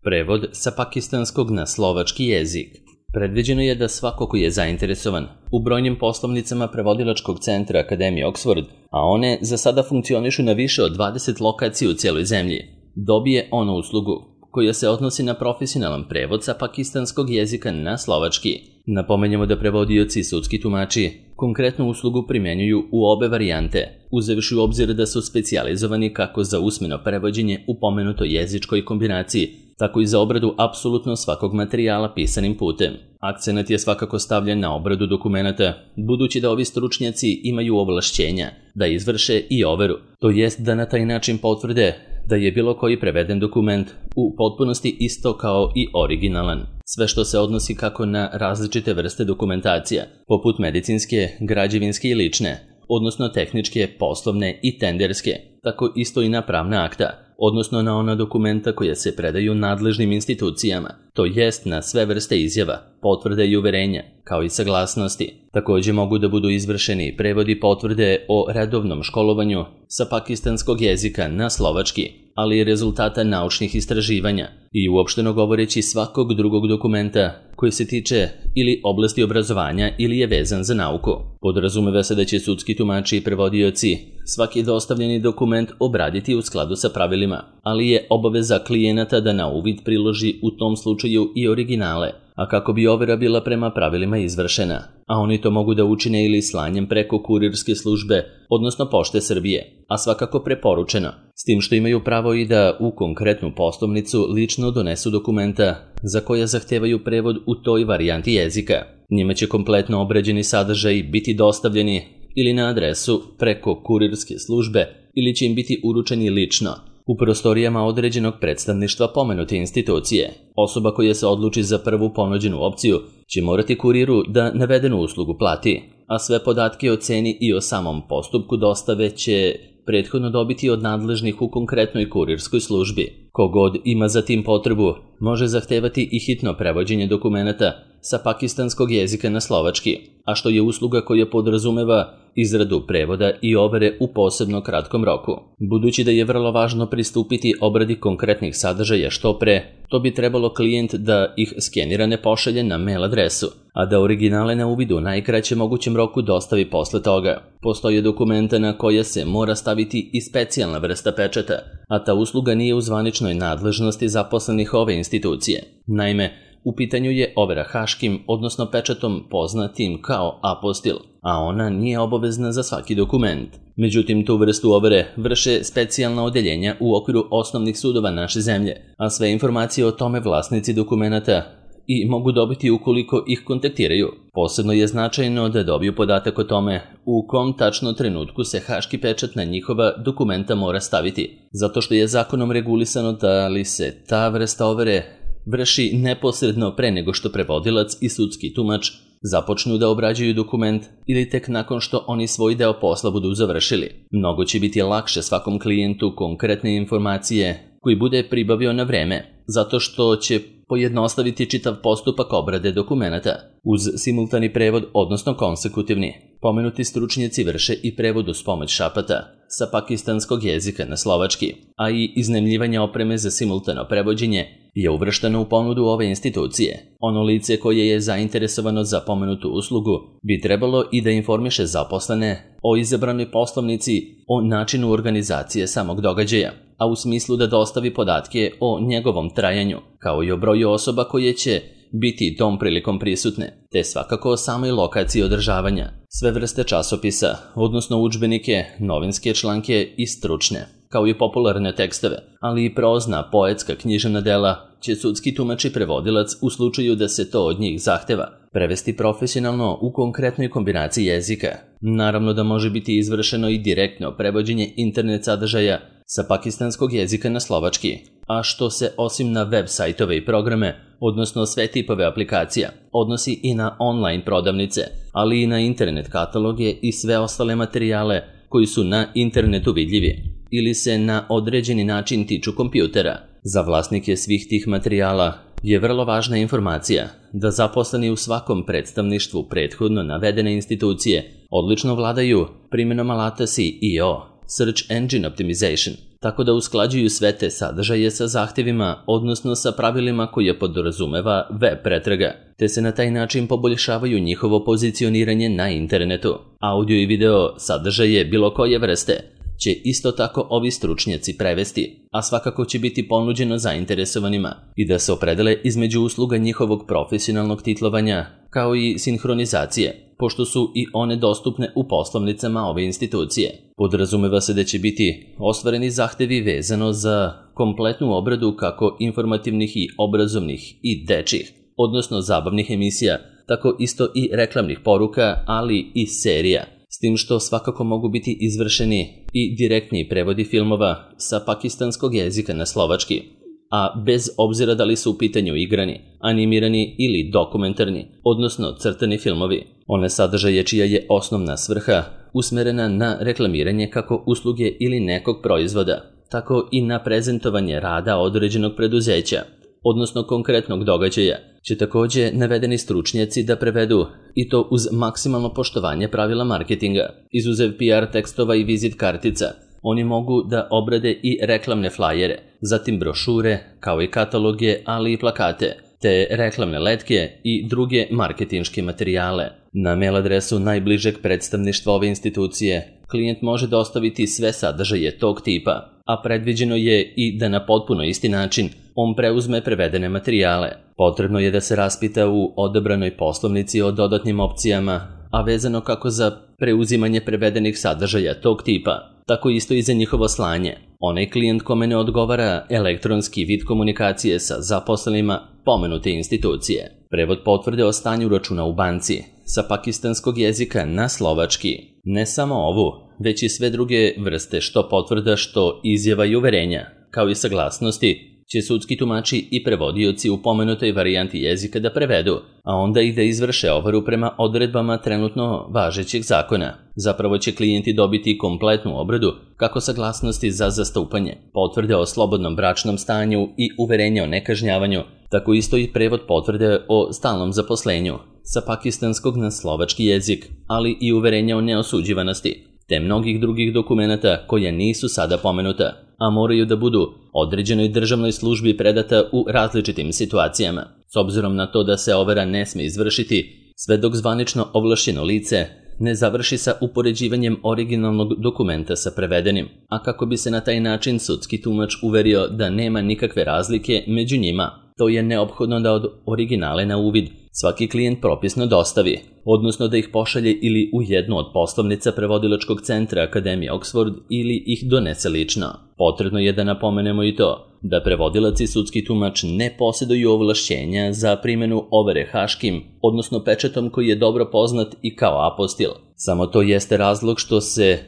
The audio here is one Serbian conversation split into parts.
Prevod sa pakistanskog na slovački jezik. Predviđeno je da svako ko je zainteresovan u brojnim poslovnicama prevodilačkog centra Akademije Oxford, a one za sada funkcionišu na više od 20 lokacija u cijeloj zemlji, dobije onu uslugu koja se odnosi na profesionalan prevod sa pakistanskog jezika na slovački. Napomenjamo da prevodioci i sudski tumači konkretnu uslugu primjenjuju u obe varijante, uzevši u obzir da su specijalizovani kako za usmeno prevođenje u pomenutoj jezičkoj kombinaciji, tako i za obradu apsolutno svakog materijala pisanim putem. Akcenat je svakako stavljen na obradu dokumenata, budući da ovi stručnjaci imaju ovlašćenja da izvrše i overu, to jest da na taj način potvrde da je bilo koji preveden dokument u potpunosti isto kao i originalan. Sve što se odnosi kako na različite vrste dokumentacija, poput medicinske, građevinske i lične, odnosno tehničke, poslovne i tenderske, tako isto i na pravna akta, odnosno na ona dokumenta koja se predaju nadležnim institucijama, to jest na sve vrste izjava, potvrde i uverenja, kao i saglasnosti. Također mogu da budu izvršeni prevodi potvrde o redovnom školovanju sa pakistanskog jezika na slovački, ali i rezultata naučnih istraživanja i uopšteno govoreći svakog drugog dokumenta koji se tiče ili oblasti obrazovanja ili je vezan za nauku. Podrazumeva se da će sudski tumači i prevodioci svaki dostavljeni dokument obraditi u skladu sa pravilima, ali je obaveza klijenata da na uvid priloži u tom slučaju i originale, a kako bi overa bila prema pravilima izvršena, a oni to mogu da učine ili slanjem preko kurirske službe, odnosno Pošte Srbije, a svakako preporučeno, s tim što imaju pravo i da u konkretnu poslovnicu lično donesu dokumenta za koja zahtevaju prevod u toj varijanti jezika. Njima će kompletno obrađeni sadržaj biti dostavljeni ili na adresu preko kurirske službe ili će im biti uručeni lično u prostorijama određenog predstavništva pomenute institucije. Osoba koja se odluči za prvu ponuđenu opciju će morati kuriru da navedenu uslugu plati, a sve podatke o ceni i o samom postupku dostave će prethodno dobiti od nadležnih u konkretnoj kurirskoj službi. Kogod ima za tim potrebu može zahtevati i hitno prevođenje dokumenata sa pakistanskog jezika na slovački, a što je usluga koja podrazumeva izradu prevoda i overe u posebno kratkom roku. Budući da je vrlo važno pristupiti obradi konkretnih sadržaja što pre, to bi trebalo klijent da ih skenirane pošalje na mail adresu, a da originale na uvid u najkraćem mogućem roku dostavi posle toga. Postoje dokumenta na koja se mora staviti i specijalna vrsta pečata, a ta usluga nije u zvaničnoj nadležnosti zaposlenih ove institucije. Naime, u pitanju je overa haškim, odnosno pečatom poznatim kao apostil, a ona nije obavezna za svaki dokument. Međutim, tu vrstu overe vrše specijalna odeljenja u okviru osnovnih sudova naše zemlje, a sve informacije o tome vlasnici dokumenata i mogu dobiti ukoliko ih kontaktiraju. Posebno je značajno da dobiju podatak o tome u kom tačno trenutku se haški pečat na njihova dokumenta mora staviti, zato što je zakonom regulisano da li se ta vrsta overe vrši neposredno pre nego što prevodilac i sudski tumač započnu da obrađuju dokument ili tek nakon što oni svoj deo posla budu završili. Mnogo će biti lakše svakom klijentu konkretne informacije koji bude pribavio na vreme, zato što će pojednostaviti čitav postupak obrade dokumenata. Uz simultani prevod, odnosno konsekutivni, pomenuti stručnjaci vrše i prevod uz pomoć šapata sa pakistanskog jezika na slovački, a i iznajmljivanje opreme za simultano prevođenje je uvršteno u ponudu ove institucije. Ono lice koje je zainteresovano za pomenutu uslugu bi trebalo i da informiše zaposlene o izabranoj poslovnici, o načinu organizacije samog događaja, a u smislu da dostavi podatke o njegovom trajanju, kao i o broju osoba koje će biti tom prilikom prisutne, te svakako o samoj lokaciji održavanja, sve vrste časopisa, odnosno udžbenike, novinske članke i stručne, kao i popularne tekstove, ali i prozna, poetska, književna dela će sudski tumač i prevodilac u slučaju da se to od njih zahteva prevesti profesionalno u konkretnoj kombinaciji jezika. Naravno da može biti izvršeno i direktno prevođenje internet sadržaja sa pakistanskog jezika na slovački, a što se osim na web sajtove i programe, odnosno sve tipove aplikacija, odnosi i na online prodavnice, ali i na internet kataloge i sve ostale materijale koji su na internetu vidljivi ili se na određeni način tiču kompjutera. Za vlasnike svih tih materijala je vrlo važna informacija da zaposleni u svakom predstavništvu prethodno navedene institucije odlično vladaju primjenom alata SEO, Search Engine Optimization, tako da usklađuju sve te sadržaje sa zahtevima, odnosno sa pravilima koje podrazumeva web pretraga, te se na taj način poboljšavaju njihovo pozicioniranje na internetu. Audio i video sadržaje bilo koje vrste će isto tako ovi stručnjaci prevesti, a svakako će biti ponuđeno zainteresovanima i da se opredele između usluga njihovog profesionalnog titlovanja, kao i sinhronizacije, pošto su i one dostupne u poslovnicama ove institucije. Podrazumeva se da će biti ostvareni zahtevi vezano za kompletnu obradu kako informativnih i obrazovnih i dečjih, odnosno zabavnih emisija, tako isto i reklamnih poruka, ali i serija, s tim što svakako mogu biti izvršeni i direktni prevodi filmova sa pakistanskog jezika na slovački, a bez obzira da li su u pitanju igrani, animirani ili dokumentarni, odnosno crtani filmovi. One sadržaje čija je osnovna svrha usmerena na reklamiranje kako usluge ili nekog proizvoda, tako i na prezentovanje rada određenog preduzeća, odnosno konkretnog događaja, će takođe navedeni stručnjaci da prevedu, i to uz maksimalno poštovanje pravila marketinga. Izuzev PR tekstova i vizit kartica, oni mogu da obrade i reklamne flajere, zatim brošure, kao i kataloge, ali i plakate, te reklamne letke i druge marketinške materijale. Na mail adresu najbližeg predstavništva ove institucije klijent može dostaviti sve sadržaje tog tipa, a predviđeno je i da na potpuno isti način on preuzme prevedene materijale. Potrebno je da se raspita u odabranoj poslovnici o dodatnim opcijama, a vezano kako za preuzimanje prevedenih sadržaja tog tipa, tako isto i za njihovo slanje. Onaj klijent kome ne odgovara elektronski vid komunikacije sa zaposlenima pomenute institucije. Prevod potvrde o stanju računa u banci sa pakistanskog jezika na slovački. Ne samo ovu, već i sve druge vrste što potvrda, što izjava i uverenja, kao i saglasnosti, će sudski tumači i prevodioci u pomenutoj varijanti jezika da prevedu, a onda i da izvrše overu prema odredbama trenutno važećeg zakona. Zapravo će klijenti dobiti kompletnu obradu kako saglasnosti za zastupanje, potvrde o slobodnom bračnom stanju i uverenja o nekažnjavanju, tako isto i prevod potvrde o stalnom zaposlenju sa pakistanskog na slovački jezik, ali i uverenja o neosuđivanosti, te mnogih drugih dokumenata koja nisu sada pomenuta, a moraju da budu određenoj državnoj službi predata u različitim situacijama, s obzirom na to da se overa ne sme izvršiti sve dok zvanično ovlašćeno lice ne završi sa upoređivanjem originalnog dokumenta sa prevedenim, a kako bi se na taj način sudski tumač uverio da nema nikakve razlike među njima. To je neophodno da od originale na uvid svaki klijent propisno dostavi, odnosno da ih pošalje ili u jednu od poslovnica prevodilačkog centra Akademije Oxford ili ih donese lično. Potrebno je da napomenemo i to da prevodilac i sudski tumač ne posjeduju ovlašćenja za primjenu overe haškim, odnosno pečatom koji je dobro poznat i kao apostil. Samo to jeste razlog što se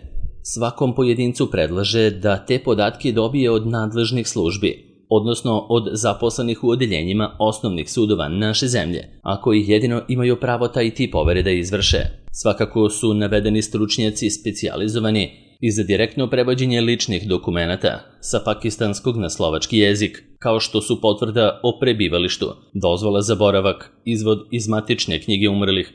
svakom pojedincu predlaže da te podatke dobije od nadležnih službi, odnosno od zaposlenih u odeljenjima osnovnih sudova naše zemlje, a koji jedino imaju pravo taj tip overe da izvrše. Svakako su navedeni stručnjaci specijalizovani i za direktno prevođenje ličnih dokumenata sa pakistanskog na slovački jezik, kao što su potvrda o prebivalištu, dozvola za boravak, izvod iz matične knjige umrlih,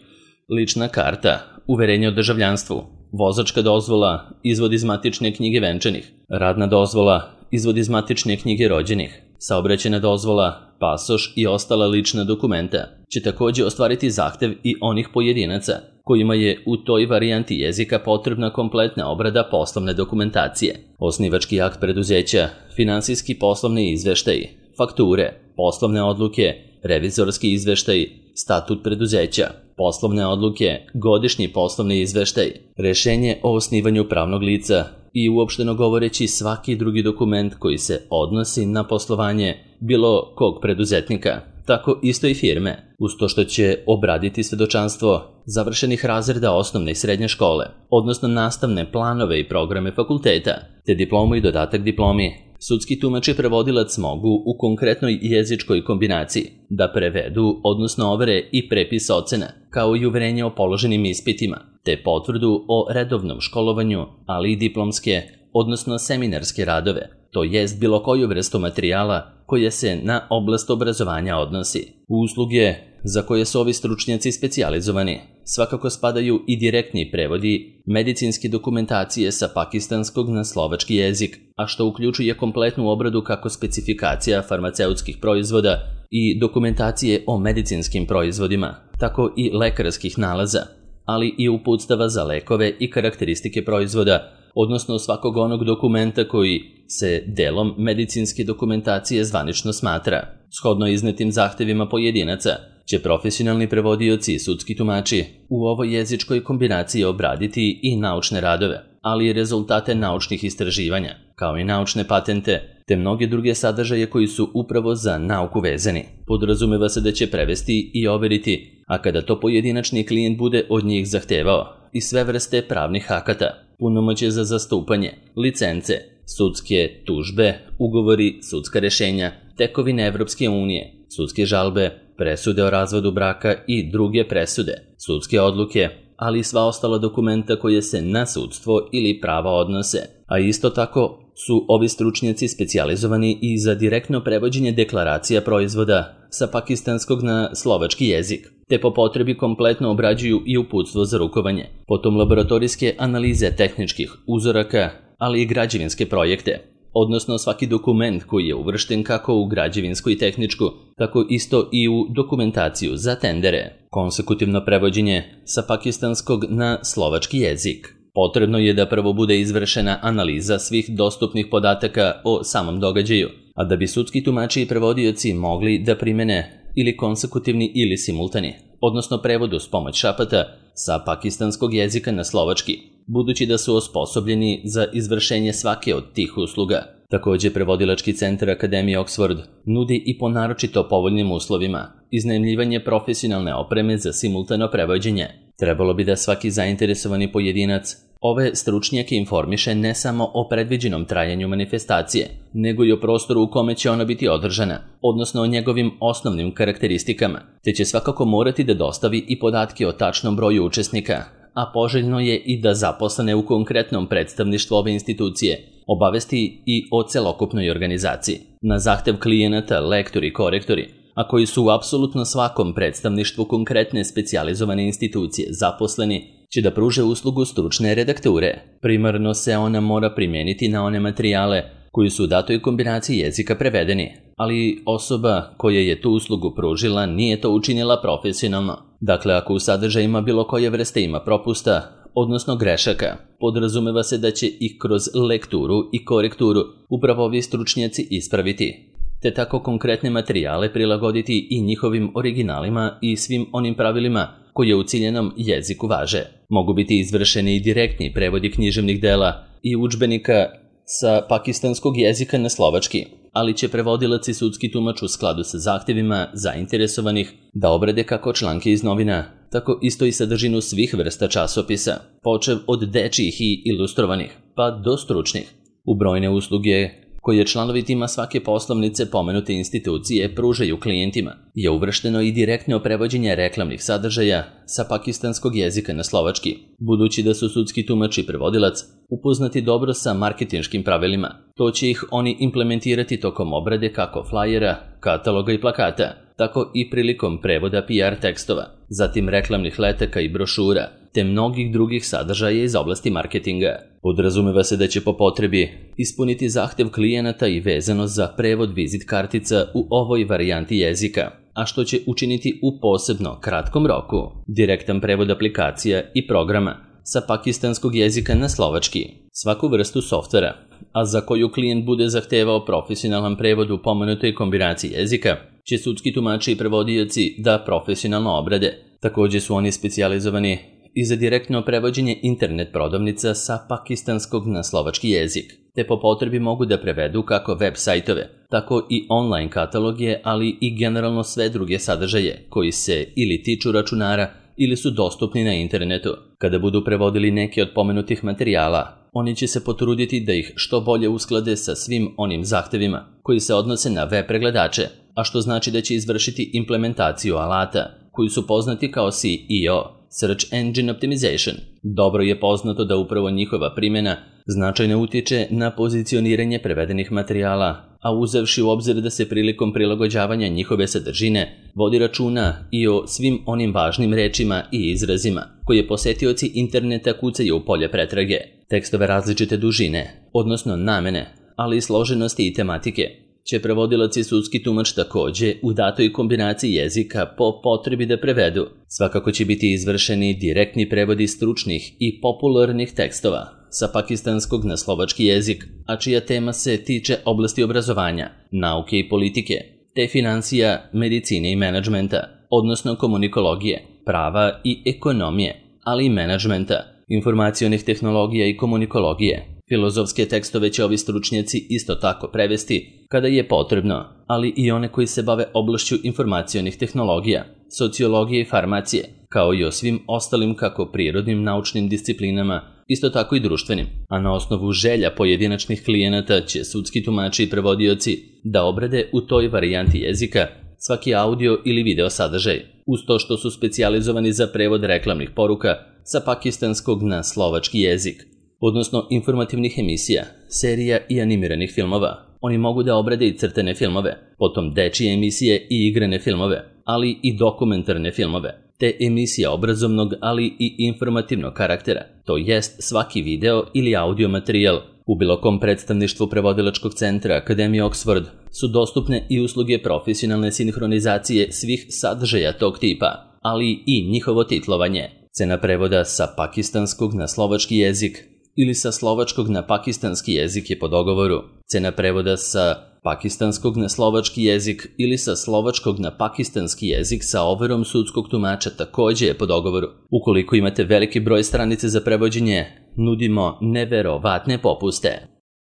lična karta, uverenje o državljanstvu, vozačka dozvola, izvod iz matične knjige venčanih, radna dozvola, izvod iz matične knjige rođenih, saobraćajna dozvola, pasoš i ostala lična dokumenta će takođe ostvariti zahtev i onih pojedinaca kojima je u toj varijanti jezika potrebna kompletna obrada poslovne dokumentacije, osnivački akt preduzeća, finansijski poslovni izveštaji, fakture, poslovne odluke, revizorski izveštaj, statut preduzeća, poslovne odluke, godišnji poslovni izveštaj, rešenje o osnivanju pravnog lica i uopšteno govoreći svaki drugi dokument koji se odnosi na poslovanje bilo kog preduzetnika, tako isto i firme, uz to što će obraditi svedočanstvo završenih razreda osnovne i srednje škole, odnosno nastavne planove i programe fakulteta, te diplomu i dodatak diplomi. Sudski tumač i prevodilac mogu u konkretnoj jezičkoj kombinaciji da prevedu, odnosno overe i prepis ocena, kao i uverenje o položenim ispitima, te potvrdu o redovnom školovanju, ali i diplomske, odnosno seminarske radove, to jest bilo koju vrstu materijala koja se na oblast obrazovanja odnosi. Usluge za koje su ovi stručnjaci specijalizovani svakako spadaju i direktni prevodi medicinske dokumentacije sa pakistanskog na slovački jezik, a što uključuje kompletnu obradu kako specifikacija farmaceutskih proizvoda i dokumentacije o medicinskim proizvodima, tako i lekarskih nalaza, ali i uputstava za lekove i karakteristike proizvoda, odnosno svakog onog dokumenta koji se delom medicinske dokumentacije zvanično smatra. Shodno iznetim zahtevima pojedinaca će profesionalni prevodioci i sudski tumači u ovoj jezičkoj kombinaciji obraditi i naučne radove, ali i rezultate naučnih istraživanja, kao i naučne patente, te mnoge druge sadržaje koji su upravo za nauku vezani. Podrazumeva se da će prevesti i overiti, a kada to pojedinačni klijent bude od njih zahtevao, i sve vrste pravnih akata, punomoćje za zastupanje, licence, sudske tužbe, ugovori, sudska rešenja, tekovine Evropske unije, sudske žalbe, presude o razvodu braka i druge presude, sudske odluke, ali i sva ostala dokumenta koje se na sudstvo ili prava odnose, a isto tako su ovi stručnjaci specijalizovani i za direktno prevođenje deklaracija proizvoda sa pakistanskog na slovački jezik, te po potrebi kompletno obrađuju i uputstvo za rukovanje, potom laboratorijske analize tehničkih uzoraka, ali i građevinske projekte, odnosno svaki dokument koji je uvršten kako u građevinsku i tehničku, tako isto i u dokumentaciju za tendere. Konsekutivno prevođenje sa pakistanskog na slovački jezik. Potrebno je da prvo bude izvršena analiza svih dostupnih podataka o samom događaju, a da bi sudski tumači i prevodioci mogli da primene ili konsekutivni ili simultani, odnosno prevod uz pomoć šapata sa pakistanskog jezika na slovački, budući da su osposobljeni za izvršenje svake od tih usluga. Također, prevodilački centar Akademije Oxford nudi i po naročito povoljnim uslovima iznajmljivanje profesionalne opreme za simultano prevođenje. Trebalo bi da svaki zainteresovani pojedinac ove stručnjake informiše ne samo o predviđenom trajanju manifestacije, nego i o prostoru u kome će ona biti održana, odnosno o njegovim osnovnim karakteristikama, te će svakako morati da dostavi i podatke o tačnom broju učesnika, a poželjno je i da zaposlene u konkretnom predstavništvu ove institucije obavesti i o celokupnoj organizaciji. Na zahtev klijenata, lektori i korektori, a koji su u apsolutno svakom predstavništvu konkretne specijalizovane institucije zaposleni, će da pruže uslugu stručne redakture. Primarno se ona mora primijeniti na one materijale koji su u datoj kombinaciji jezika prevedeni, ali osoba koja je tu uslugu pružila nije to učinila profesionalno. Dakle, ako u sadržajima bilo koje vrste ima propusta, odnosno grešaka, podrazumeva se da će ih kroz lekturu i korekturu upravo ovi stručnjaci ispraviti, te tako konkretne materijale prilagoditi i njihovim originalima i svim onim pravilima koje u ciljenom jeziku važe. Mogu biti izvršeni i direktni prevodi književnih dela i udžbenika sa pakistanskog jezika na slovački, ali će prevodilac i sudski tumač u skladu sa zahtjevima zainteresovanih da obrade kako članke iz novina, tako isto i sadržinu svih vrsta časopisa, počev od dečijih i ilustrovanih, pa do stručnih. U brojne usluge koje članovi tima svake poslovnice pomenute institucije pružaju klijentima je uvršteno i direktno prevođenje reklamnih sadržaja sa pakistanskog jezika na slovački, budući da su sudski tumač i prevodilac upoznati dobro sa marketinškim pravilima. To će ih oni implementirati tokom obrade kako flajera, kataloga i plakata, tako i prilikom prevoda PR tekstova, zatim reklamnih letaka i brošura, te mnogih drugih sadržaja iz oblasti marketinga. Podrazumeva se da će po potrebi ispuniti zahtev klijenata i vezano za prevod vizit kartica u ovoj varijanti jezika, a što će učiniti u posebno kratkom roku. Direktan prevod aplikacija i programa sa pakistanskog jezika na slovački, svaku vrstu softvera, a za koju klijent bude zahtevao profesionalan prevod u pomenutoj kombinaciji jezika, će sudski tumači i prevodioci da profesionalno obrade. Također su oni specijalizovani i za direktno prevođenje internet prodavnica sa pakistanskog na slovački jezik, te po potrebi mogu da prevedu kako web sajtove, tako i online kataloge, ali i generalno sve druge sadržaje koji se ili tiču računara ili su dostupni na internetu. Kada budu prevodili neke od pomenutih materijala, oni će se potruditi da ih što bolje usklade sa svim onim zahtevima koji se odnose na web pregledače, a što znači da će izvršiti implementaciju alata koji su poznati kao SEO, Search Engine Optimization. Dobro je poznato da upravo njihova primjena značajno utiče na pozicioniranje prevedenih materijala, a uzevši u obzir da se prilikom prilagođavanja njihove sadržine vodi računa i o svim onim važnim rečima i izrazima koje posetioci interneta kucaju u polje pretrage, tekstove različite dužine, odnosno namene, ali i složenosti i tematike, će prevodilac i sudski tumač takođe u datoj kombinaciji jezika po potrebi da prevedu. Svakako će biti izvršeni direktni prevodi stručnih i popularnih tekstova sa pakistanskog na slovački jezik, a čija tema se tiče oblasti obrazovanja, nauke i politike, te financija, medicine i menadžmenta, odnosno komunikologije, prava i ekonomije, ali i menadžmenta, informacionih tehnologija i komunikologije. Filozofske tekstove će ovi stručnjaci isto tako prevesti kada je potrebno, ali i one koji se bave oblašću informacionih tehnologija, sociologije i farmacije, kao i o svim ostalim kako prirodnim naučnim disciplinama, isto tako i društvenim, a na osnovu želja pojedinačnih klijenata će sudski tumači i prevodioci da obrade u toj varijanti jezika svaki audio ili video sadržaj, uz to što su specijalizovani za prevod reklamnih poruka sa pakistanskog na slovački jezik, odnosno informativnih emisija, serija i animiranih filmova. Oni mogu da obrade i crtene filmove, potom dečije emisije i igrane filmove, ali i dokumentarne filmove, te emisija obrazovnog, ali i informativnog karaktera, to jest svaki video ili audio materijal. U bilo kom predstavništvu prevodilačkog centra Akademije Oxford su dostupne i usluge profesionalne sinhronizacije svih sadržaja tog tipa, ali i njihovo titlovanje. Cena prevoda sa pakistanskog na slovački jezik ili sa slovačkog na pakistanski jezik je po dogovoru. Cena prevoda sa pakistanskog na slovački jezik ili sa slovačkog na pakistanski jezik sa overom sudskog tumača takođe je po dogovoru. Ukoliko imate veliki broj stranice za prevođenje, nudimo neverovatne popuste.